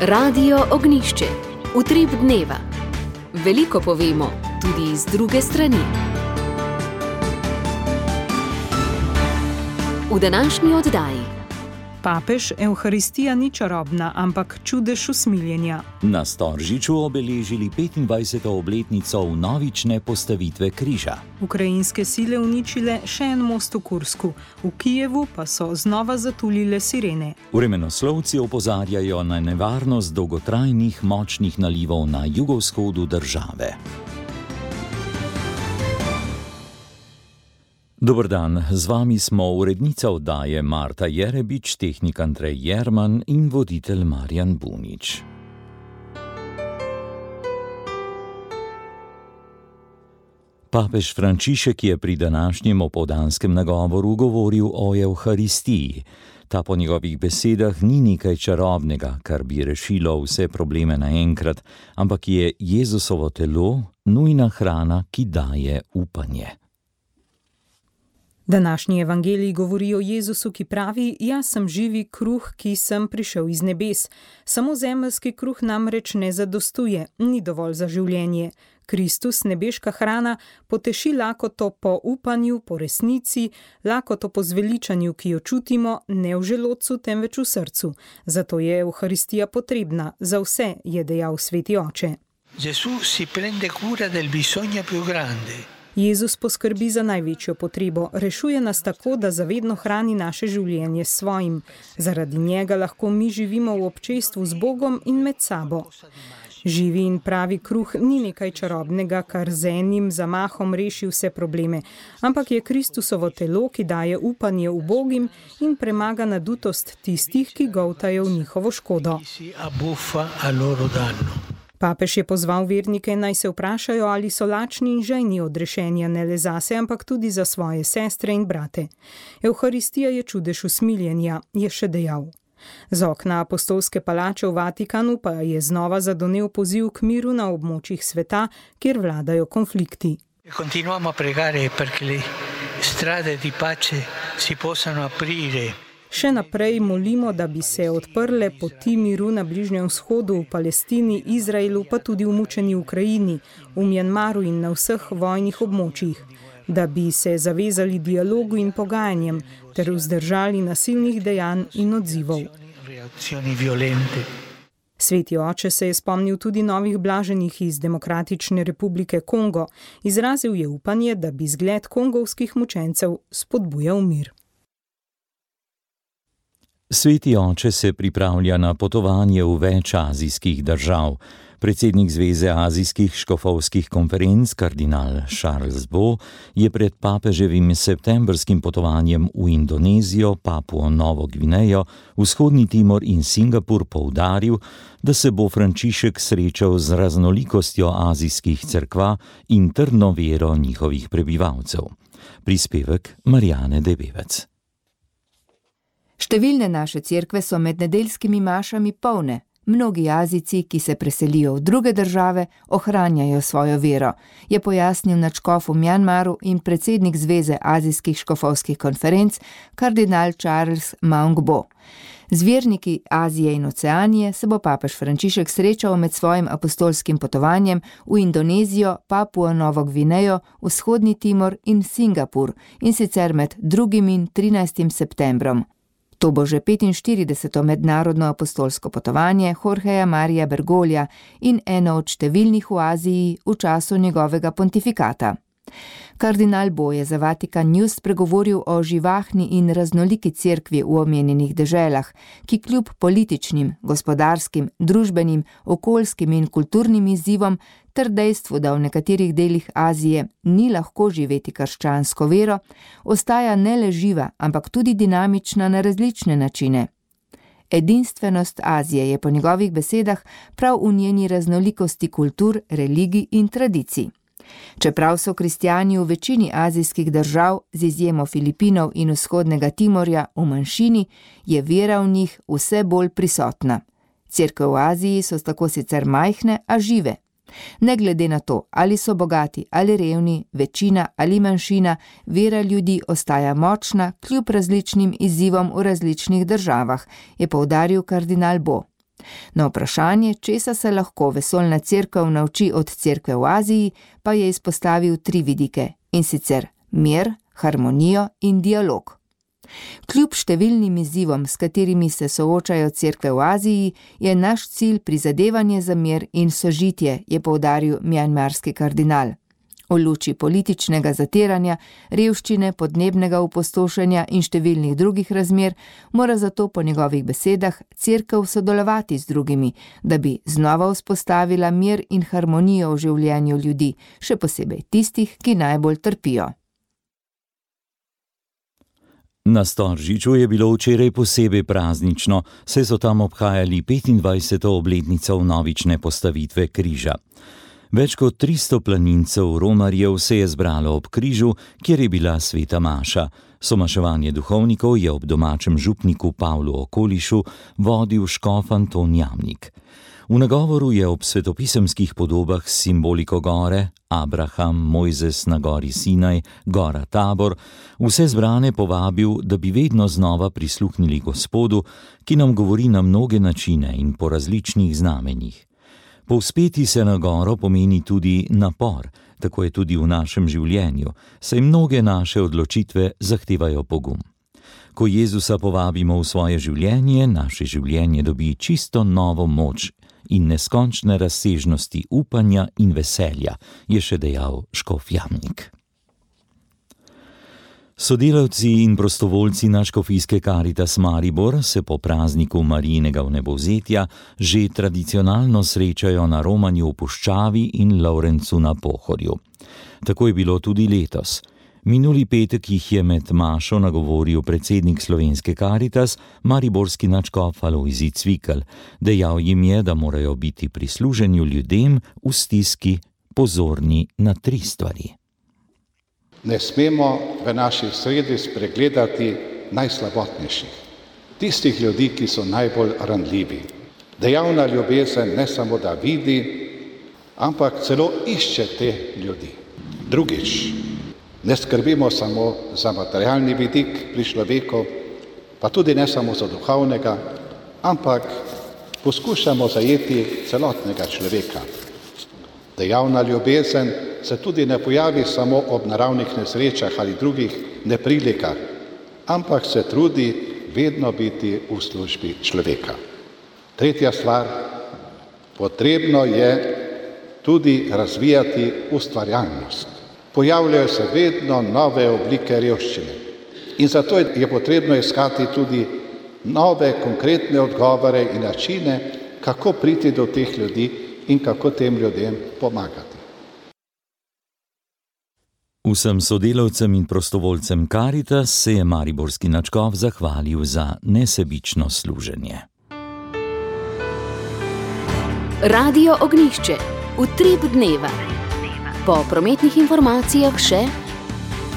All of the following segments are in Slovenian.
Radio Ognišče, utrip dneva. Veliko povemo, tudi iz druge strani. V današnji oddaji. Papež, Evharistija ni čarobna, ampak čudež usmiljenja. Na Storžiču obeležili 25. obletnico vnovične postavitve križa. Ukrajinske sile uničile še en most v Kursku, v Kijevu pa so znova zatulile sirene. Vremenoslovci opozarjajo na nevarnost dolgotrajnih močnih nalivov na jugovzhodu države. Dober dan, z vami smo urednica oddaje Marta Jerebič, tehnik Andrej Jerman in voditelj Marjan Bunič. Papež Frančišek je pri današnjem opoldanskem nagovoru govoril o Evharistiji. Ta po njegovih besedah ni nekaj čarobnega, kar bi rešilo vse probleme naenkrat, ampak je Jezusovo telo nujna hrana, ki daje upanje. Današnji evangelij govori o Jezusu, ki pravi: jaz sem živi kruh, ki sem prišel iz nebes. Samo zemeljski kruh namreč ne zadostuje, ni dovolj za življenje. Kristus, nebeška hrana, poteši lakoto po upanju, po resnici, lakoto po zveličanju, ki jo čutimo, ne v želodcu, temveč v srcu. Zato je Evharistija potrebna za vse, je dejal Sveti Oče. Jezus poskrbi za največjo potrebo, rešuje nas tako, da zavedno hrani naše življenje s svojim. Zaradi njega lahko mi živimo v občestvu z Bogom in med sabo. Živi in pravi kruh ni nekaj čarobnega, kar z enim zamahom reši vse probleme, ampak je Kristusovo telo, ki daje upanje ubogim in premaga nadutost tistih, ki goltajo v njihovo škodo. Papež je pozval vernike, naj se vprašajo, ali so lačni in žejni odrešenja ne le zase, ampak tudi za svoje sestre in brate. Evharistija je čudež usmiljenja, je še dejal. Z okna apostolske palače v Vatikanu pa je znova zadonel poziv k miru na območjih sveta, kjer vladajo konflikti. Continuiamo a pregare perché le strade di pace si possano aprire. Še naprej molimo, da bi se odprle poti miru na Bližnjem vzhodu, v Palestini, Izraelu, pa tudi v mučeni Ukrajini, v Mjanmaru in na vseh vojnih območjih. Da bi se zavezali dialogu in pogajanjem ter vzdržali nasilnih dejanj in odzivov. Sveti Oče se je spomnil tudi novih blaženih iz Demokratične republike Kongo. Izrazil je upanje, da bi zgled kongovskih mučencev spodbujal mir. Sveti Oče se pripravlja na potovanje v več azijskih držav. Predsednik Zveze azijskih škofovskih konferenc, kardinal Charles Bo, je pred papeževim septembrskim potovanjem v Indonezijo, Papuo Novo Gvinejo, Vzhodni Timor in Singapur poudaril, da se bo Frančišek srečal z raznolikostjo azijskih cerkva in trdno vero njihovih prebivalcev. Prispevek Marijane Debevec. Številne naše cerkve so med nedeljskimi mašami polne. Mnogi Azijci, ki se preselijo v druge države, ohranjajo svojo vero, je pojasnil nadškof v Mjanmaru in predsednik Zveze azijskih škofovskih konferenc, kardinal Charles Maung-Bo. Z verniki Azije in Oceanije se bo papež Frančišek srečal med svojim apostolskim potovanjem v Indonezijo, Papuo Novo Gvinejo, Vzhodni Timor in Singapur, in sicer med 2. in 13. septembrom. To bo že 45. mednarodno apostolsko potovanje Jorgeja Marija Bergoglia in eno od številnih v Aziji v času njegovega pontifikata. Kardinal Bo je za Vatikan News spregovoril o živahni in raznoliki cerkvi v omenjenih deželah, ki kljub političnim, gospodarskim, družbenim, okoljskim in kulturnim izzivom ter dejstvu, da v nekaterih delih Azije ni lahko živeti krščansko vero, ostaja ne le živa, ampak tudi dinamična na različne načine. Edinstvenost Azije je po njegovih besedah prav v njeni raznolikosti kultur, religij in tradicij. Čeprav so kristjani v večini azijskih držav, z izjemo Filipinov in Vzhodnega Timorja, v manjšini, je vera v njih vse bolj prisotna. Cerkve v Aziji so tako sicer majhne, a žive. Ne glede na to, ali so bogati ali revni, večina ali manjšina, vera ljudi ostaja močna kljub različnim izzivom v različnih državah, je poudaril kardinal Bo. Na vprašanje, česa se lahko vesoljna cerkev nauči od cerkve v Aziji, pa je izpostavil 3 vidike, in sicer mir, harmonijo in dialog. Kljub številnim izzivom, s katerimi se soočajo cerkve v Aziji, je naš cilj prizadevanje za mir in sožitje, je poudaril mjanmarski kardinal. V luči političnega zatiranja, revščine, podnebnega opustošenja in številnih drugih razmer, mora zato po njegovih besedah cerkev sodelovati z drugimi, da bi znova vzpostavila mir in harmonijo v življenju ljudi, še posebej tistih, ki najbolj trpijo. Na Storžiču je bilo včeraj posebej praznično, saj so tam obhajali 25. obletnico vnovične postavitve križa. Več kot 300 planincev romarjev se je zbralo ob križu, kjer je bila sveta maša. Somaševanje duhovnikov je ob domačem župniku Pavlu Okolišu vodil škof Anton Jamnik. V nagovoru je ob svetopisemskih podobah s simboliko gore, Abraham, Mojzes na gori Sinaj, gora Tabor, vse zbrane povabil, da bi vedno znova prisluhnili Gospodu, ki nam govori na mnoge načine in po različnih znamenjih. Povzpeti se na goro pomeni tudi napor, tako je tudi v našem življenju, saj mnoge naše odločitve zahtevajo pogum. Ko Jezusa povabimo v svoje življenje, naše življenje dobi čisto novo moč in neskončne razsežnosti upanja in veselja, je še dejal škof Jamnik. Sodelavci in prostovoljci na škofijske Caritas Maribor se po prazniku Marijinega vnebovzetja že tradicionalno srečajo na romanju v Puščavi in Lovrencu na Pohorju. Tako je bilo tudi letos. Minuli petek jih je med mašo nagovoril predsednik slovenske Caritas, mariborski nadškof Alojzij Cvikl. Dejal jim je, da morajo biti pri služenju ljudem v stiski pozorni na 3 stvari. Ne smemo v naši sredi spregledati najslabotnejših, tistih ljudi, ki so najbolj ranljivi. Dejavna ljubezen ne samo da vidi, ampak celo išče te ljudi. Drugič, ne skrbimo samo za materialni vidik pri človeku, pa tudi ne samo za duhovnega, ampak poskušamo zajeti celotnega človeka. Dejavna ljubezen se tudi ne pojavi samo ob naravnih nesrečah ali drugih neprilikah, ampak se trudi vedno biti v službi človeka. Tretja stvar, potrebno je tudi razvijati ustvarjalnost. Pojavljajo se vedno nove oblike revščine in zato je potrebno iskati tudi nove konkretne odgovore in načine, kako priti do teh ljudi in kako tem ljudem pomagati. Vsem sodelavcem in prostovoljcem Caritas se je mariborski nadškof zahvalil za nesebično služenje. Radio Ognjišče, utrip dneva. Po prometnih informacijah še: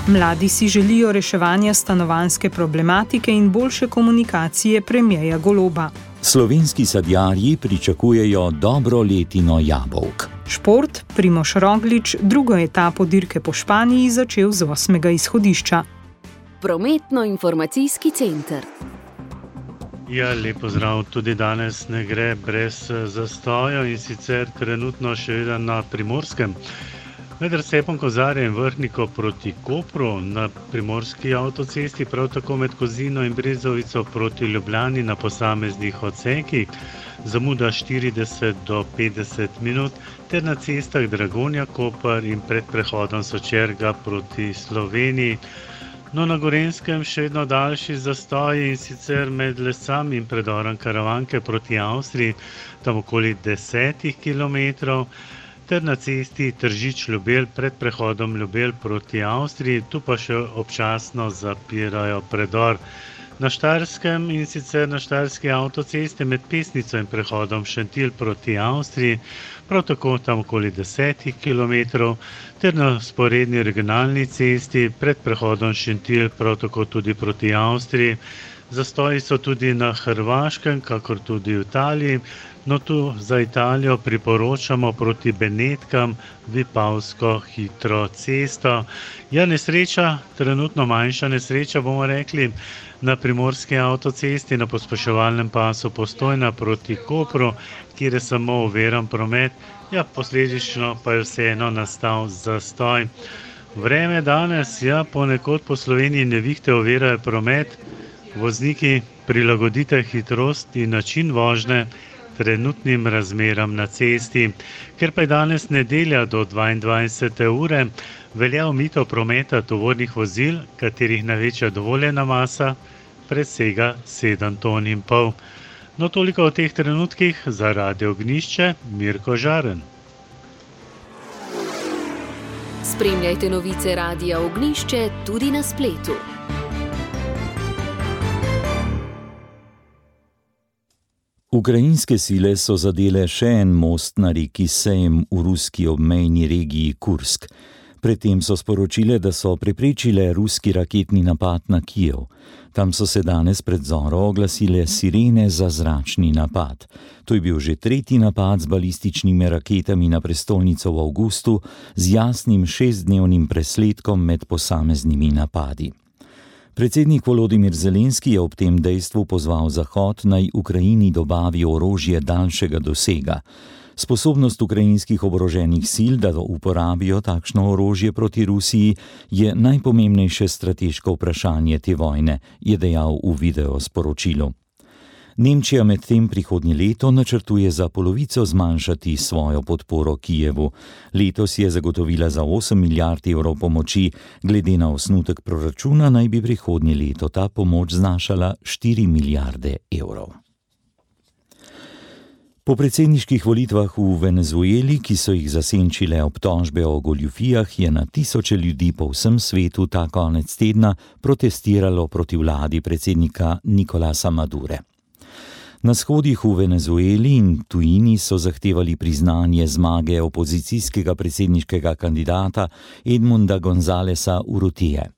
Mladi si želijo reševanja stanovanjske problematike in boljše komunikacije premierja Goloba. Slovenski sadjarji pričakujejo dobro letino jabolk. Šport, Primož Roglič drugo etapo dirke po Španiji začel z 8. izhodišča. Prometno-informacijski center. Ja, lep pozdrav. Tudi danes ne gre brez zastoja in sicer trenutno še vedno na Primorskem. Med razcepom Kozarja in Vrhniko proti Kopru na primorski avtocesti, prav tako med Kozino in Brezovico proti Ljubljani na posameznih odsekih, zamuda 40 do 50 minut, ter na cestah Dragonja-Koper in pred prehodom Sočerga proti Sloveniji. No, na Gorenjskem še vedno daljši zastoji in sicer med Lesami in predorom Karavanke proti Avstriji, tam okoli 10 kilometrov, ter na cesti Tržič-Ljubelj pred prehodom Ljubelj proti Avstriji, tu pa še občasno zapirajo predor. Na Štajerskem in sicer na štajerski avtocesti med Pesnico in prehodom Šentilj proti Avstriji, prav tako tam okoli 10 kilometrov, ter na sporedni regionalni cesti pred prehodom Šentilj prav tako tudi proti Avstriji, Zastoji so tudi na Hrvaškem, kakor tudi v Italiji. No, tu za Italijo priporočamo proti Benetkam Vipavsko hitro cesto. Ja, nesreča, trenutno manjša nesreča, bomo rekli, na primorski avtocesti na pospeševalnem pasu Postojna proti Kopru, kjer je samo oviran promet. Ja, posledično pa je vseeno nastal zastoj. Vreme danes, ja, ponekod po Sloveniji nevihte ovirajo promet. Vozniki, prilagodite hitrost in način vožnje trenutnim razmeram na cesti. Ker pa je danes nedelja do 22. ure, velja omejitev prometa tovornih vozil, katerih največja dovoljena masa presega 7,5 ton. No, toliko o teh trenutkih za Radio Ognjišče, Mirko Žaren. Spremljajte novice Radia Ognjišče tudi na spletu. Ukrajinske sile so zadele še en most na reki Sejm v ruski obmejni regiji Kursk. Predtem so sporočile, da so preprečile ruski raketni napad na Kijev. Tam so se danes pred zoro oglasile sirene za zračni napad. To je bil že tretji napad z balističnimi raketami na prestolnico v avgustu z jasnim 6-dnevnim presledkom med posameznimi napadi. Predsednik Volodimir Zelenski je ob tem dejstvu pozval Zahod naj Ukrajini dobavi orožje daljšega dosega. Sposobnost ukrajinskih oboroženih sil, da uporabijo takšno orožje proti Rusiji, je najpomembnejše strateško vprašanje te vojne, je dejal v videosporočilu. Nemčija medtem prihodnje leto načrtuje za polovico zmanjšati svojo podporo Kijevu. Letos je zagotovila za 8 milijard evrov pomoči, glede na osnutek proračuna naj bi prihodnje leto ta pomoč znašala 4 milijarde evrov. Po predsedniških volitvah v Venezueli, ki so jih zasenčile obtožbe o goljufijah, je na tisoče ljudi po vsem svetu ta konec tedna protestiralo proti vladi predsednika Nicolasa Madure. Na shodih v Venezueli in tujini so zahtevali priznanje zmage opozicijskega predsedniškega kandidata Edmunda Gonzáleza Urrutije.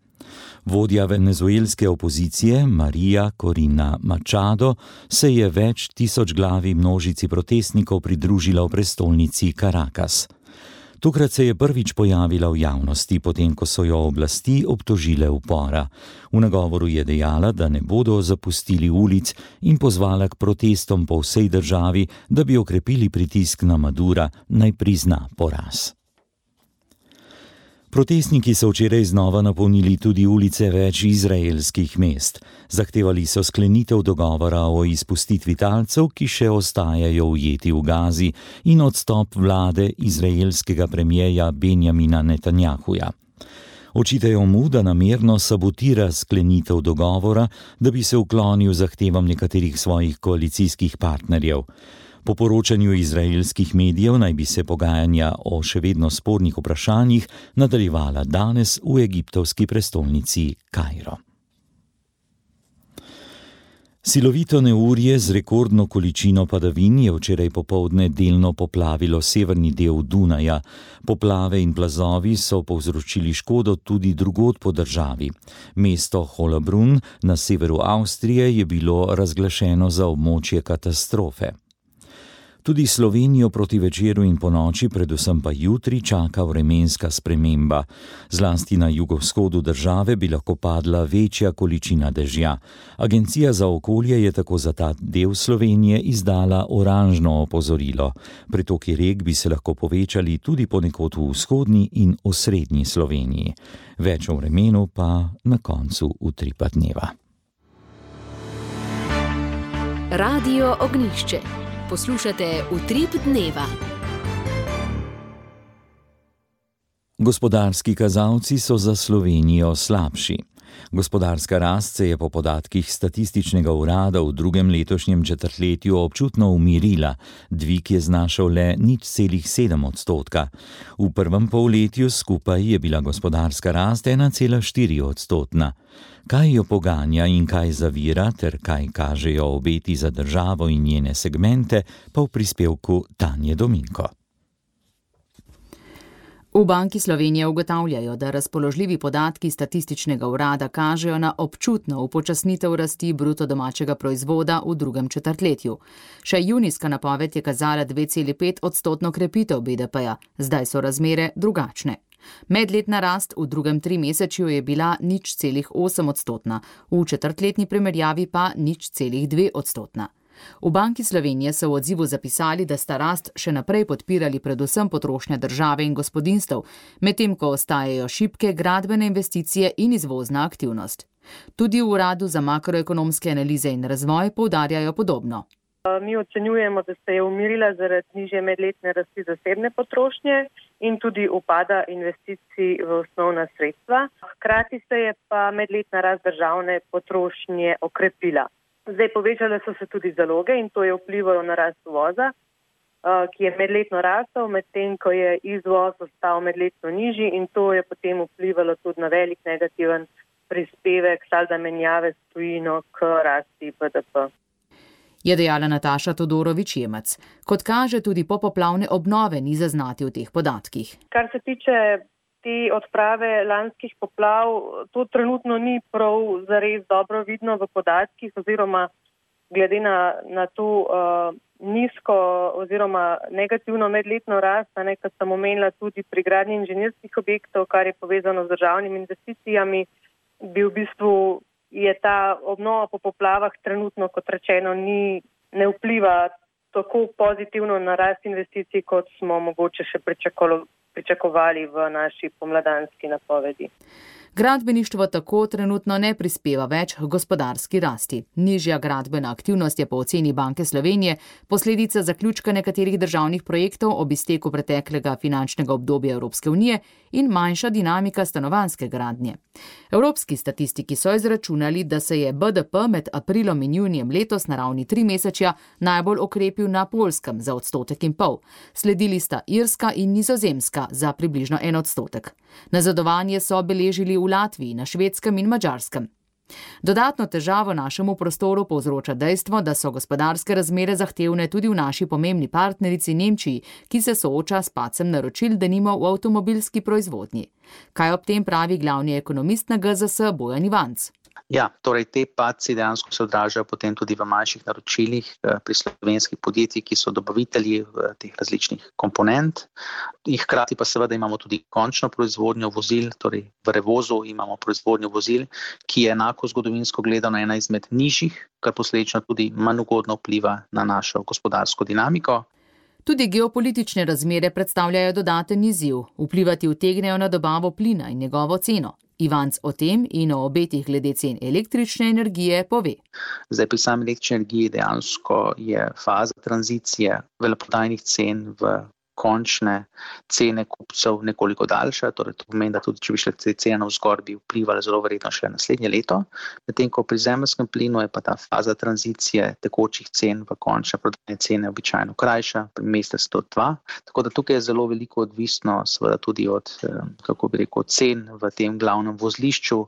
Vodja venezuelske opozicije, María Corina Machado, se je več tisočglavi množici protestnikov pridružila v prestolnici Caracas. Tokrat se je prvič pojavila v javnosti, potem ko so jo oblasti obtožile upora. V nagovoru je dejala, da ne bodo zapustili ulic in pozvala k protestom po vsej državi, da bi okrepili pritisk na Madura, naj prizna poraz. Protestniki so včeraj znova napolnili tudi ulice več izraelskih mest. Zahtevali so sklenitev dogovora o izpustitvi talcev, ki še ostajajo ujeti v Gazi, in odstop vlade izraelskega premierja Benjamina Netanjahuja. Očitajo mu, da namerno sabotira sklenitev dogovora, da bi se uklonil zahtevam nekaterih svojih koalicijskih partnerjev. Po poročanju izraelskih medijev naj bi se pogajanja o še vedno spornih vprašanjih nadaljevala danes v egiptovski prestolnici Kairo. Silovito neurje z rekordno količino padavin je včeraj popoldne delno poplavilo severni del Dunaja. Poplave in plazovi so povzročili škodo tudi drugod po državi. Mesto Hollabrunn na severu Avstrije je bilo razglašeno za območje katastrofe. Tudi Slovenijo proti večeru in ponoči, predvsem pa jutri, čaka vremenska sprememba. Zlasti na jugovzhodu države bi lahko padla večja količina dežja. Agencija za okolje je tako za ta del Slovenije izdala oranžno opozorilo. Pretoki rek bi se lahko povečali tudi ponekod v vzhodni in osrednji Sloveniji. Več o vremenu pa na koncu Utripa dneva. Radio Ognjišče. Poslušate Utrip dneva. Gospodarski kazalci so za Slovenijo slabši. Gospodarska rast se je po podatkih Statističnega urada v drugem letošnjem četrtletju občutno umirila, dvig je znašal le 0,7%. V prvem polletju skupaj je bila gospodarska rast 1,4%. Kaj jo poganja in kaj zavira ter kaj kažejo obeti za državo in njene segmente, pa v prispevku Tanje Dominko. V Banki Slovenije ugotavljajo, da razpoložljivi podatki statističnega urada kažejo na občutno upočasnitev rasti bruto domačega proizvoda v drugem četrtletju. Še junijska napoved je kazala 2,5% krepitev BDP-ja, zdaj so razmere drugačne. Medletna rast v drugem trimesečju je bila 0,8%, v četrtletni primerjavi pa 0,2%. V Banki Slovenije so v odzivu zapisali, da sta rast še naprej podpirali predvsem potrošnja države in gospodinjstev, medtem ko ostajajo šibke gradbene investicije in izvozna aktivnost. Tudi v Uradu za makroekonomske analize in razvoj poudarjajo podobno. Mi ocenjujemo, da se je umirila zaradi nižje medletne rasti zasebne potrošnje in tudi upada investicij v osnovna sredstva. Hkrati se je pa medletna rast državne potrošnje okrepila. Zdaj povečale so se tudi zaloge in to je vplivalo na rast uvoza, ki je medletno rastel, medtem ko je izvoz ostal medletno nižji in to je potem vplivalo tudi na velik negativen prispevek salda menjave s tujino k rasti BDP. Je dejala Nataša Todorović-Jemec. Kot kaže, tudi popoplavne obnove ni zaznati v teh podatkih. Kar se tiče te odprave lanskih poplav, to trenutno ni prav zares dobro vidno v podatkih oziroma glede na to nizko oziroma negativno medletno rast, kar sem omenila tudi pri gradnji inženirskih objektov, kar je povezano z državnimi investicijami, bi v bistvu je ta obnova po poplavah trenutno, kot rečeno, ne vpliva tako pozitivno na rast investicij, kot smo mogoče še pričakovali v naši pomladanski napovedi. Gradbeništvo tako trenutno ne prispeva več k gospodarski rasti. Nižja gradbena aktivnost je po oceni Banke Slovenije posledica zaključka nekaterih državnih projektov ob izteku preteklega finančnega obdobja Evropske unije in manjša dinamika stanovanjske gradnje. Evropski statistiki so izračunali, da se je BDP med aprilom in junijem letos na ravni 3 mesečja najbolj okrepil na Poljskem za 1,5%. Sledili sta Irska in Nizozemska za približno 1%. Nazadovanje so beležili v Latviji, na Švedskem in Madžarskem. Dodatno težavo našemu prostoru povzroča dejstvo, da so gospodarske razmere zahtevne tudi v naši pomembni partnerici Nemčiji, ki se sooča s padcem naročil, denimo v avtomobilski proizvodnji. Kaj ob tem pravi glavni ekonomist na GZS Bojan Ivanc? Ja, torej te padci dejansko se odražajo potem tudi v manjših naročilih pri slovenskih podjetjih, ki so dobavitelji teh različnih komponent. In hkrati pa seveda imamo tudi končno proizvodnjo vozil, torej v revozu imamo proizvodnjo vozil, ki je enako zgodovinsko gledano ena izmed nižjih, kar posledično tudi manj ugodno vpliva na našo gospodarsko dinamiko. Tudi geopolitične razmere predstavljajo dodaten izziv, vplivati utegnejo na dobavo plina in njegovo ceno. Ivanc o tem in o obetih glede cen električne energije pove. Zdaj pri sami električni energiji dejansko je faza tranzicije veleprodajnih cen v končne cene kupcev nekoliko daljša, torej to pomeni, da tudi če bi šle te cene navzgor, bi vplivali zelo verjetno še naslednje leto, medtem ko pri zemeljskem plinu je pa ta faza tranzicije tekočih cen v končne prodajne cene običajno krajša, pri mesec do 2, tako da tukaj je zelo veliko odvisno seveda tudi od, cen v tem glavnem vozlišču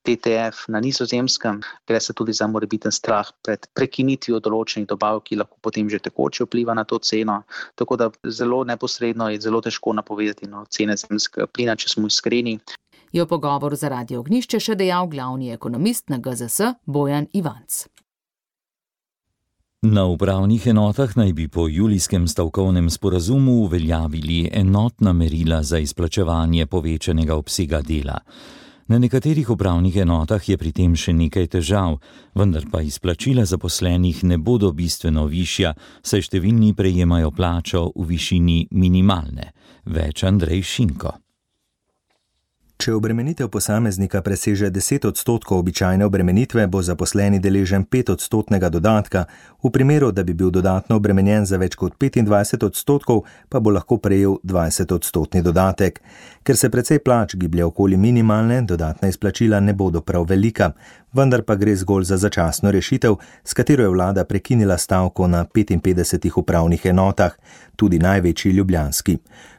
TTF na Nizozemskem. Gre se tudi za morebiten strah pred prekinitvijo določenih dobav, ki lahko potem že tekoče vpliva na to ceno, tako da zelo neposredno je zelo težko napovedati cene zemeljskega plina, če smo iskreni. Je v pogovoru za Radio Ognjišče še dejal glavni ekonomist na GZS Bojan Ivanc. Na upravnih enotah naj bi po julijskem stavkovnem sporazumu uveljavili enotna merila za izplačevanje povečanega obsega dela. Na nekaterih upravnih enotah je pri tem še nekaj težav, vendar pa izplačila zaposlenih ne bodo bistveno višja, saj številni prejemajo plačo v višini minimalne. Več Andrej Šinko. Če obremenitev posameznika preseže 10% običajne obremenitve, bo zaposleni deležen 5% dodatka, v primeru, da bi bil dodatno obremenjen za več kot 25%, pa bo lahko prejel 20% dodatek. Ker se precej plač giblje okoli minimalne, dodatna izplačila ne bodo prav velika, vendar pa gre zgolj za začasno rešitev, s katero je vlada prekinila stavko na 55 upravnih enotah, tudi največji ljubljanski.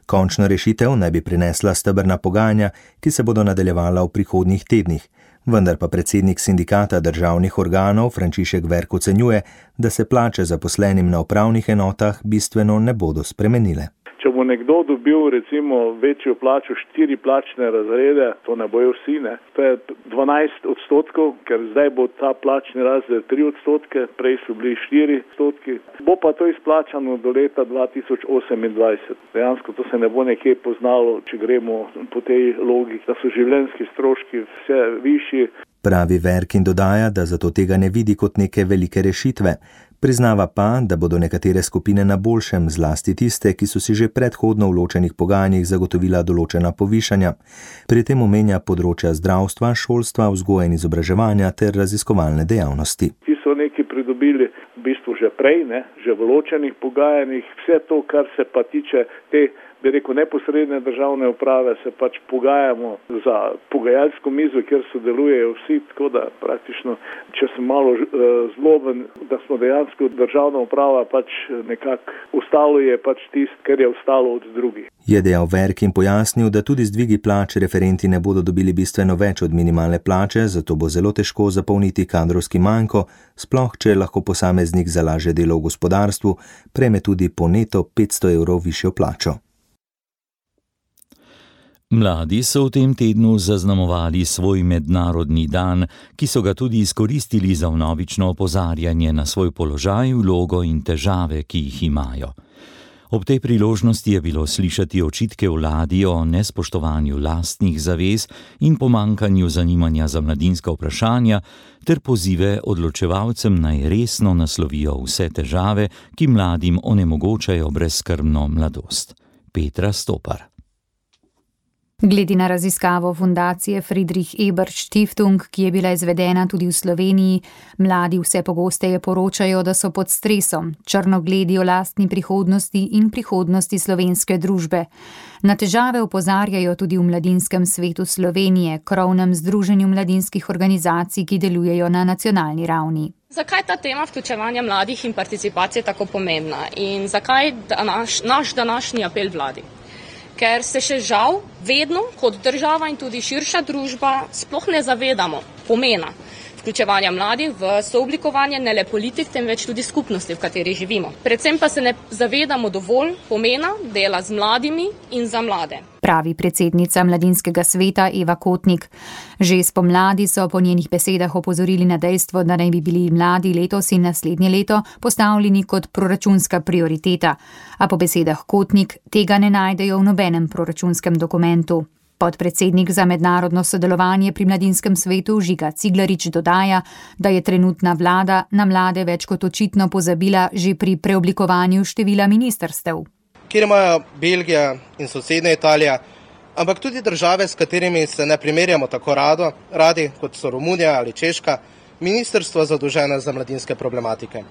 Končno rešitev naj bi prinesla stebrna pogajanja, ki se bodo nadaljevala v prihodnjih tednih. Vendar pa predsednik sindikata državnih organov Frančišek Verk ocenjuje, da se plače zaposlenim na upravnih enotah bistveno ne bodo spremenile. Če bo nekdo dobil recimo večjo plačo, 4 plačne razrede, to ne bojo vsi, ne. To je 12%, ker zdaj bo ta plačni razred 3%, prej so bili 4%. Bo pa to izplačano do leta 2028. Dejansko to se ne bo nekje poznalo, če gremo po tej logiki, da so življenjski stroški vse višji. Pravi Verk in dodaja, da zato tega ne vidi kot neke velike rešitve. Priznava pa, da bodo nekatere skupine na boljšem, zlasti tiste, ki so si že predhodno v ločenih pogajanjih zagotovila določena povišanja. Pri tem omenja področja zdravstva, šolstva, vzgoje in izobraževanja ter raziskovalne dejavnosti. Ti so neki pridobili v bistvu že prej, ne, že v ločenih pogajanjih, vse to, kar se pa tiče te, bi rekel, neposredne državne uprave, se pač pogajamo za pogajalsko mizo, kjer sodelujejo vsi, tako da praktično, če sem malo zloben, da smo dejansko državna uprava pač nekako ostalo je pač tisto, kar je ostalo od drugih. Je dejal Verk in pojasnil, da tudi z dvigi plač referenti ne bodo dobili bistveno več od minimalne plače, zato bo zelo težko zapolniti kadrovski manjko, sploh če lahko posameznik za lažje delo v gospodarstvu prejme tudi po neto 500 evrov višjo plačo. Mladi so v tem tednu zaznamovali svoj mednarodni dan, ki so ga tudi izkoristili za vnovično opozarjanje na svoj položaj, vlogo in težave, ki jih imajo. Ob tej priložnosti je bilo slišati očitke vladi o nespoštovanju lastnih zavez in pomanjkanju zanimanja za mladinska vprašanja ter pozive odločevalcem naj resno naslovijo vse težave, ki mladim onemogočajo brezskrbno mladost. Petra Stopar. Glede na raziskavo fundacije Friedrich Ebert Stiftung, ki je bila izvedena tudi v Sloveniji, mladi vse pogosteje poročajo, da so pod stresom, črnogledi o lastni prihodnosti in prihodnosti slovenske družbe. Na težave opozarjajo tudi v Mladinskem svetu Slovenije, krovnem združenju mladinskih organizacij, ki delujejo na nacionalni ravni. Zakaj ta tema vključevanja mladih in participacije tako pomembna in zakaj naš današnji apel vladi? Ker se še žal vedno kot država in tudi širša družba sploh ne zavedamo pomena vključevanja mladih v sooblikovanje ne le politik, temveč tudi skupnosti, v kateri živimo. Predvsem pa se ne zavedamo dovolj pomena dela z mladimi in za mlade. Pravi predsednica Mladinskega sveta Eva Kotnik. Že spomladi so po njenih besedah opozorili na dejstvo, da naj bi bili mladi letos in naslednje leto postavljeni kot proračunska prioriteta, a po besedah Kotnik tega ne najdejo v nobenem proračunskem dokumentu. Podpredsednik za mednarodno sodelovanje pri Mladinskem svetu Žiga Ciglarič dodaja, da je trenutna vlada na mlade več kot očitno pozabila že pri preoblikovanju števila ministrstev. Kjer imajo Belgija in sosednja Italija, ampak tudi države, s katerimi se ne primerjamo tako radi, kot so Romunija ali Češka, ministrstva zadolžena za mladinske problematike.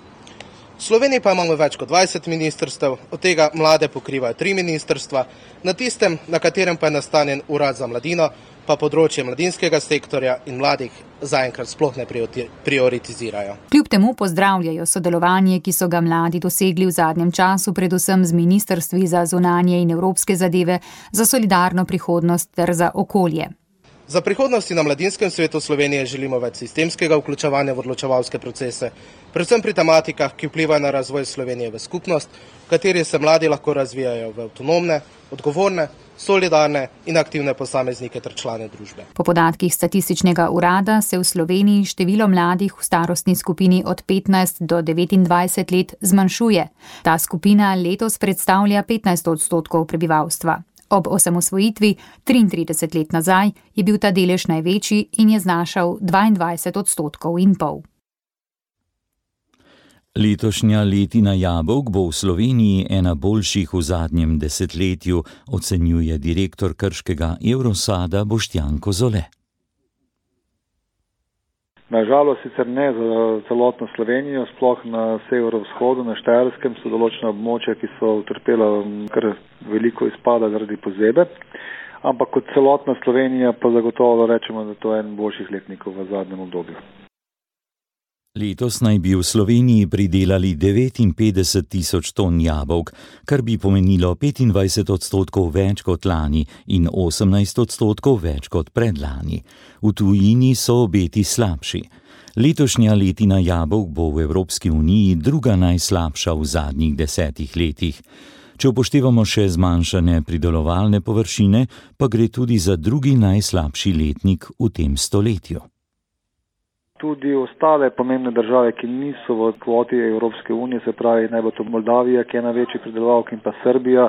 V Sloveniji pa imamo več kot 20 ministrstev, od tega mlade pokrivajo 3 ministrstva, na tistem, na katerem pa je nastanjen urad za mladino, pa področje mladinskega sektorja in mladih zaenkrat sploh ne prioritizirajo. Kljub temu pozdravljajo sodelovanje, ki so ga mladi dosegli v zadnjem času, predvsem z ministrstvi za zunanje in evropske zadeve, za solidarno prihodnost ter za okolje. Za prihodnosti na Mladinskem svetu Slovenije želimo več sistemskega vključevanja v odločevalske procese, predvsem pri tematikah, ki vplivajo na razvoj Slovenije v skupnost, v kateri se mladi lahko razvijajo v avtonomne, odgovorne, solidarne in aktivne posameznike ter člane družbe. Po podatkih statističnega urada se v Sloveniji število mladih v starostni skupini od 15 do 29 let zmanjšuje. Ta skupina letos predstavlja 15% prebivalstva. Ob osamosvojitvi 33 let nazaj je bil ta delež največji in je znašal 22,5%. Letošnja letina jabolk bo v Sloveniji ena boljših v zadnjem desetletju, ocenjuje direktor krškega Evrosada Boštjan Kozole. Nažalost sicer ne za celotno Slovenijo, sploh na severovzhodu, na Štajerskem so določena območja, ki so utrpela kar veliko izpada zaradi pozebe, ampak kot celotna Slovenija pa zagotovo rečemo, da to je en boljših letnikov v zadnjem obdobju. Letos naj bi v Sloveniji pridelali 59 tisoč ton jabolk, kar bi pomenilo 25% več kot lani in 18% več kot predlani. V tujini so obeti slabši. Letošnja letina jabolk bo v Evropski uniji druga najslabša v zadnjih 10 letih. Če upoštevamo še zmanjšane pridelovalne površine, pa gre tudi za drugi najslabši letnik v tem stoletju. Tudi ostale pomembne države, ki niso v kvoti Evropske unije, se pravi, naj bo to Moldavija, ki je največji pridelovalka, in pa Srbija,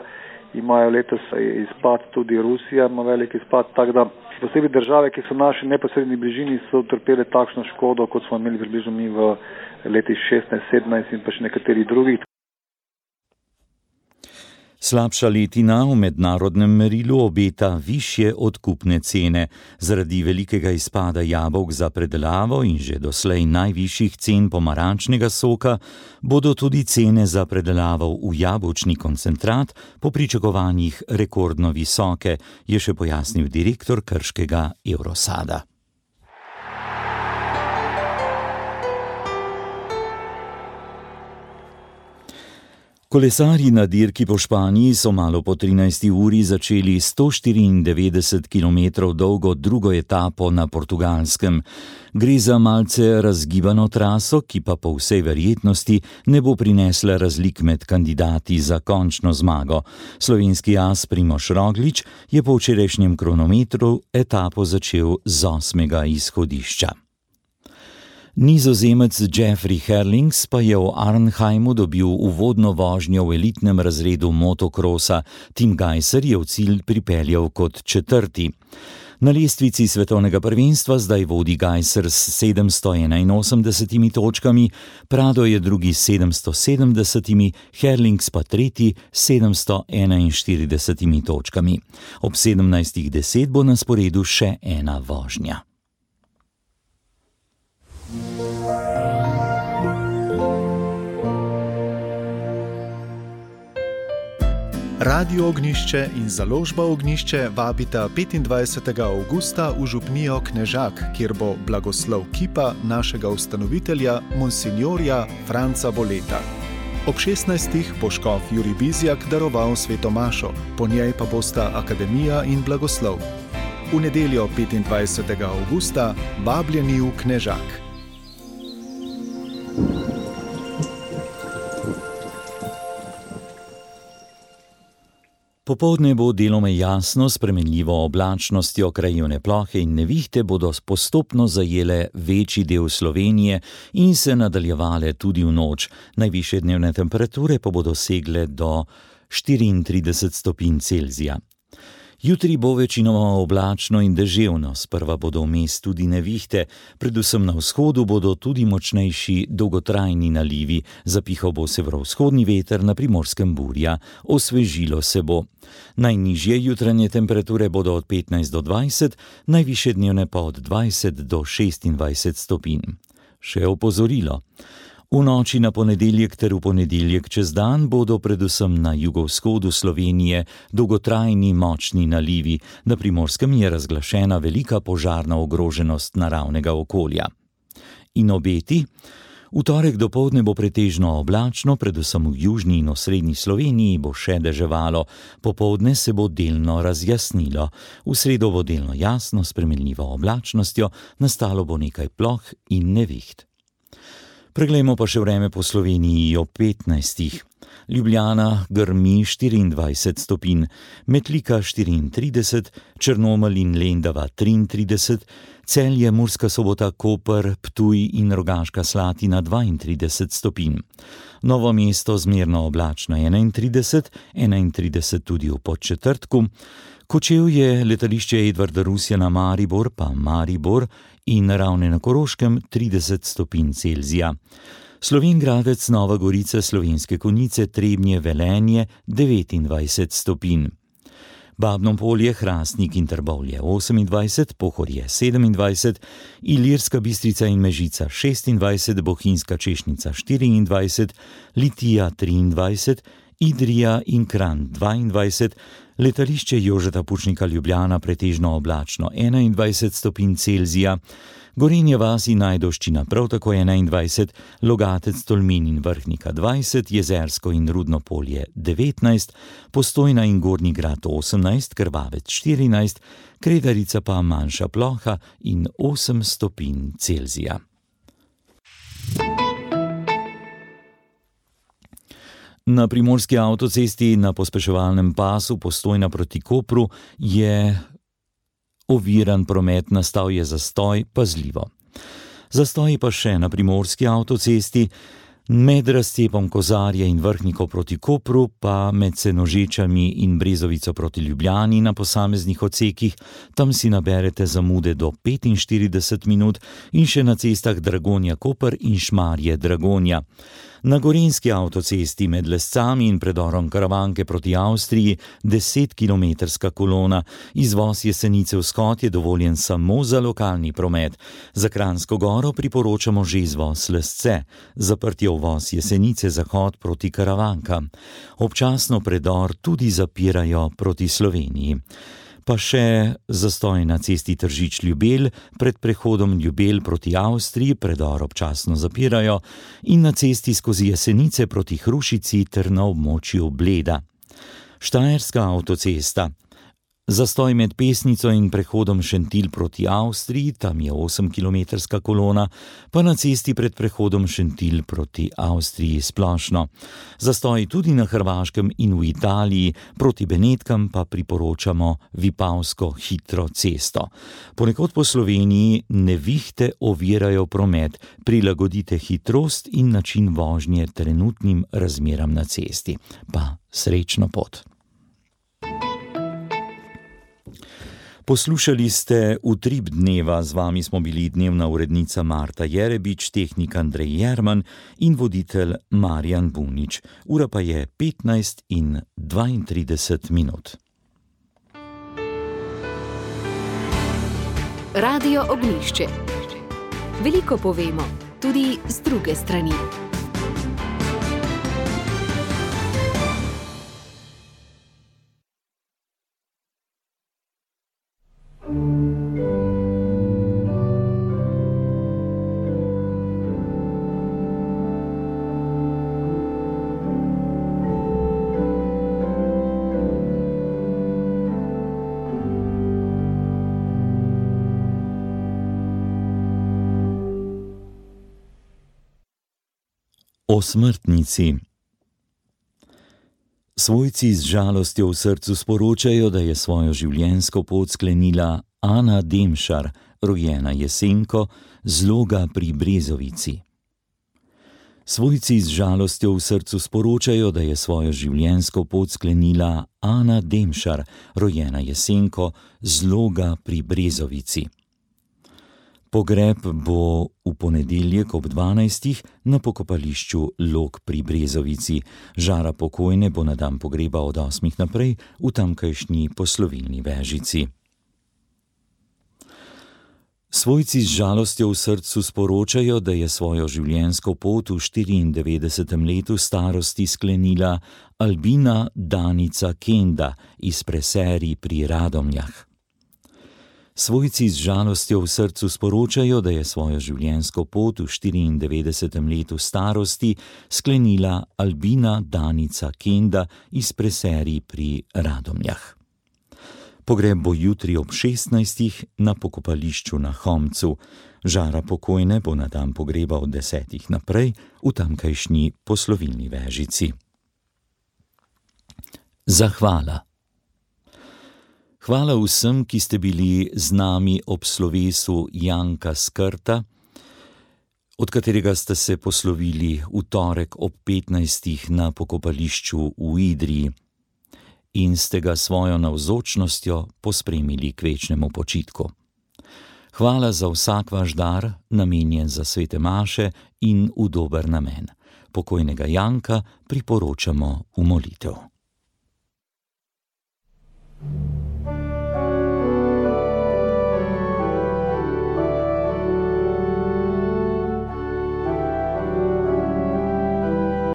imajo letos izpad, tudi Rusija ima velik izpad, tako da posebej države, ki so v naši neposredni bližini, so utrpele takšno škodo, kot smo imeli približno mi v letih 16, 17 in pa še nekaterih drugih. Slabša letina v mednarodnem merilu obeta višje odkupne cene. Zaradi velikega izpada jabolk za predelavo in že doslej najvišjih cen pomarančnega soka bodo tudi cene za predelavo v jabolčni koncentrat po pričakovanjih rekordno visoke, je še pojasnil direktor krškega Eurosada. Kolesarji na dirki po Španiji so malo po 13. uri začeli 194 km dolgo drugo etapo na Portugalskem. Gre za malce razgibano traso, ki pa po vsej verjetnosti ne bo prinesla razlik med kandidati za končno zmago. Slovenski as Primož Roglič je po včerajšnjem kronometru etapo začel z 8. izhodišča. Nizozemec Jeffrey Herlings pa je v Arnheimu dobil uvodno vožnjo v elitnem razredu motokrosa. Tim Gajser je v cilj pripeljal kot 4. Na lestvici svetovnega prvenstva zdaj vodi Gajser s 781 točkami, Prado je drugi s 770, Herlings pa tretji s 741 točkami. Ob 17:10 bo na sporedu še ena vožnja. Radio Ognjišče in založba Ognjišče vabita 25. avgusta v župnijo Knežak, kjer bo blagoslov kipa našega ustanovitelja, monsinjorja Franca Boleta. Ob 16. bo škof Jurij Bizjak daroval sveto mašo, po njej pa bosta akademija in blagoslov. V nedeljo 25. avgusta vabljeni v Knežak. Popoldne bo deloma jasno, s spremenljivo oblačnostjo, krajevne plohe in nevihte bodo postopno zajele večji del Slovenije in se nadaljevale tudi v noč. Najvišje dnevne temperature pa bodo segle do 34 stopinj Celzija. Jutri bo večinoma oblačno in deževno, sprva bodo vmes tudi nevihte, predvsem na vzhodu bodo tudi močnejši dolgotrajni nalivi, zapihal bo severovzhodni veter, na Primorskem burja, osvežilo se bo. Najnižje jutranje temperature bodo od 15 do 20, najvišje dnevne pa od 20 do 26 stopinj. Še opozorilo. V noči na ponedeljek ter v ponedeljek čez dan bodo predvsem na jugovzhodu Slovenije dolgotrajni močni nalivi, na Primorskem je razglašena velika požarna ogroženost naravnega okolja. In obeti? V torek dopoldne bo pretežno oblačno, predvsem v južni in osrednji Sloveniji bo še deževalo, popoldne se bo delno razjasnilo. V sredo bo delno jasno, s spremenljivo oblačnostjo, nastalo bo nekaj ploh in neviht. Preglejmo pa še vreme po Sloveniji ob 15. Ljubljana grmi 24 stopinj, Metlika 34, Črnomelj in Lendava 33, Celje, Murska Sobota, Koper, Ptuj in Rogaška Slatina 32 stopinj. Novo mesto zmerno oblačno 31, 31 tudi v Podčetrtku, Kočevje, letališče Edvarda Rusjana Maribor pa Maribor in Ravne na Koroškem 30 stopinj Celzija. Slovenj Gradec, Nova Gorica, Slovenske Konjice, Trebnje, Velenje 29 stopinj. Babno Polje, Hrastnik in Trbovlje 28, Pohorje 27, Ilirska Bistrica in Mežica 26, Bohinjska Češnica 24, Litija 23, Idrija in Kranj 22, letališče Jožeta Pučnika Ljubljana pretežno oblačno 21 stopinj Celzija, Gorenje vas in Ajdovščina prav tako 21, Logatec, Tolmin in Vrhnika 20, Jezersko in Rudno Polje 19, Postojna in Gornji Grad 18, Krvavec 14, Kredarica pa manjša ploha in 8 stopinj Celzija. Na primorski avtocesti na pospeševalnem pasu Postojna proti Kopru je oviran promet, nastal je zastoj, pazljivo. Zastoji pa še na primorski avtocesti, med razcepom Kozarja in Vrhniko proti Kopru, pa med Senožečami in Brezovico proti Ljubljani na posameznih odsekih, tam si naberete zamude do 45 minut in še na cestah Dragonja-Koper in Šmarje-Dragonja. Na gorenjski avtocesti med Lescami in predorom Karavanke proti Avstriji 10-kilometrska kolona, izvoz Jesenice v Skot je dovoljen samo za lokalni promet. Za Kranjsko Goro priporočamo že izvoz Lesce, zaprt je uvoz Jesenice Zahod proti Karavankam. Občasno predor tudi zapirajo proti Sloveniji. Pa še zastoj na cesti Tržič-Ljubelj, pred prehodom Ljubelj proti Avstriji predor občasno zapirajo in na cesti skozi Jesenice proti Hrušici ter na območju Bleda. Štajerska avtocesta. Zastoj med Pesnico in prehodom Šentilj proti Avstriji, tam je 8-kilometrska kolona, pa na cesti pred prehodom Šentilj proti Avstriji splošno. Zastoj tudi na Hrvaškem in v Italiji, proti Benetkam pa priporočamo Vipavsko hitro cesto. Ponekod po Sloveniji nevihte ovirajo promet, prilagodite hitrost in način vožnje trenutnim razmeram na cesti. Pa srečno pot! Poslušali ste Utrip dneva, z vami smo bili dnevna urednica Marta Jerebič, tehnik Andrej Jerman in voditelj Marjan Bunič. Ura pa je 15:32 minut. Radio Ognjišče. Veliko povemo, tudi z druge strani. O smrtnici. Svojci z žalostjo v srcu sporočajo, da je svojo življenjsko pot sklenila Ana Demšar, rojena Jesenko, z Loga pri Brezovici. Svojci z žalostjo v srcu sporočajo, da je svojo življenjsko pot sklenila Ana Demšar, rojena Jesenko, z Loga pri Brezovici. Pogreb bo v ponedeljek ob 12. na pokopališču Log pri Brezovici. Žara pokojne bo na dan pogreba od 8. naprej v tamkajšnji poslovilni vežici. Svojci z žalostjo v srcu sporočajo, da je svojo življenjsko pot v 94. letu starosti sklenila Albina Danica Kenda iz Preserij pri Radomljah. Svojci z žalostjo v srcu sporočajo, da je svojo življenjsko pot v 94. letu starosti sklenila Albina Danica Kenda iz Preserij pri Radomljah. Pogreb bo jutri ob 16. na pokopališču na Homcu. Žara pokojne bo na dan pogreba od 10. naprej v tamkajšnji poslovilni vežici. Zahvala. Hvala vsem, ki ste bili z nami ob slovesu Janka Skrta, od katerega ste se poslovili v torek ob 15. na pokopališču v Idriji in ste ga svojo navzočnostjo pospremili k večnemu počitku. Hvala za vsak vaš dar, namenjen za svete maše in v dober namen. Pokojnega Janka priporočamo v molitev.